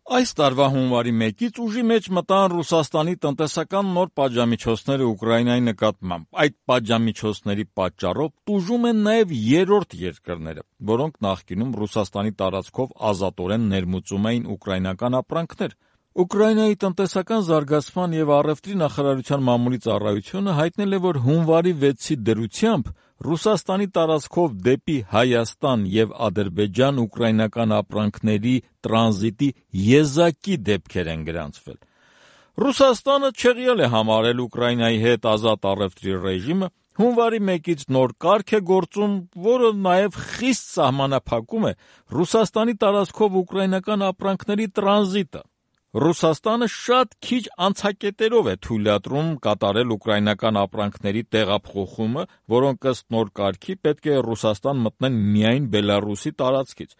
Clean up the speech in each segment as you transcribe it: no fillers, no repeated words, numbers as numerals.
Այս տարվա հունվարի 1-ից ուժի մեջ մտան Ռուսաստանի տնտեսական նոր պատժամիջոցները Ուկրաինայի նկատմամբ։ Այդ պատժամիջոցների պատճառով տուժում են նաև երրորդ երկրները, որոնք նախկինում Ռուսաստանի տարածքով ազատորեն ներմուծում էին ուկրաինական ապրանքներ։ Ուկրաինայի տնտեսական զարգացման և առևտրի նախարարության մամուլի ծառայությունը հայտնել է, որ հունվարի 6-ի դրությամբ Ռուսաստանի տարածքով դեպի Հայաստան և Ադրբեջան ուկրաինական ապրանքների տրանզիտի եզակի դեպքեր են գրանցվել։ Ռուսաստանը չեղյալ է համարել Ուկրաինայի հետ ազատ առևտրի ռեժիմը, հունվարի 1-ից նոր կարգ է գործում, որը նաև խիստ սահմանափակում է Ռուսաստանի տարածքով ուկրաինական ապրանքների տրանզիտը։ Ռուսաստանը շատ քիչ անցակետերով է թույլատրում կատարել ուկրաինական ապրանքների տեղափոխումը, որոնք ըստ նոր կարգի պետք է Ռուսաստան մտնեն միայն Բելառուսի տարածքից։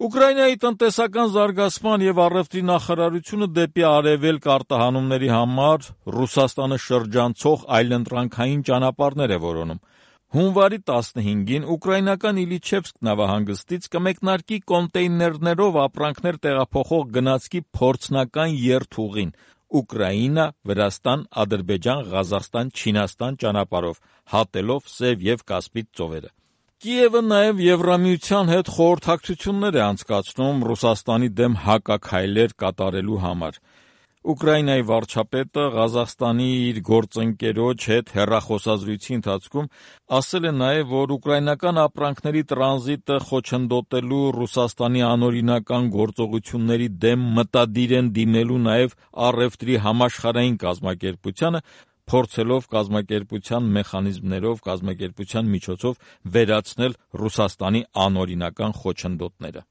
Ուկրաինայի տնտեսական զարգացման և առևտրի նախարարությունը դեպի արևելք արտահանումների համար Ռուսաստանը շրջանցող այլընտրանքային ճանապարհներ է որոնում։ Հունվարի 15-ին ուկրաինական Իլիչևսկ նավահանգստից կմեկնարկի կոնտեյներներով ապրանքներ տեղափոխող գնացքի փորձնական երթուղին Ուկրաինա, Վրաստան, Ադրբեջան, Ղազախստան, Չինաստան ճանապարհով, հատելով Սև և Կասպից ծովերը։ Կիևը նաև Եվրամիության հետ խորհրդակցություններ է անցկացնում Ռուսաստանի դեմ հակաքայլեր կատարելու համար։ Ուկրաինայի վարչապետը Ղազախստանի իր գործընկերոջ հետ հեռախոսազրույցի ընթացքում ասել է նաև, որ ուկրաինական ապրանքների տրանզիտը խոչընդոտելու Ռուսաստանի անօրինական գործողությունների դեմ մտադիր են դիմելու նաև առևտրի համաշխարհային կազմակերպությանը, փորձելով կազմակերպության մեխանիզմներով, կազմակերպության միջոցով վերացնել Ռուսաստանի անօրինական խոչընդոտները։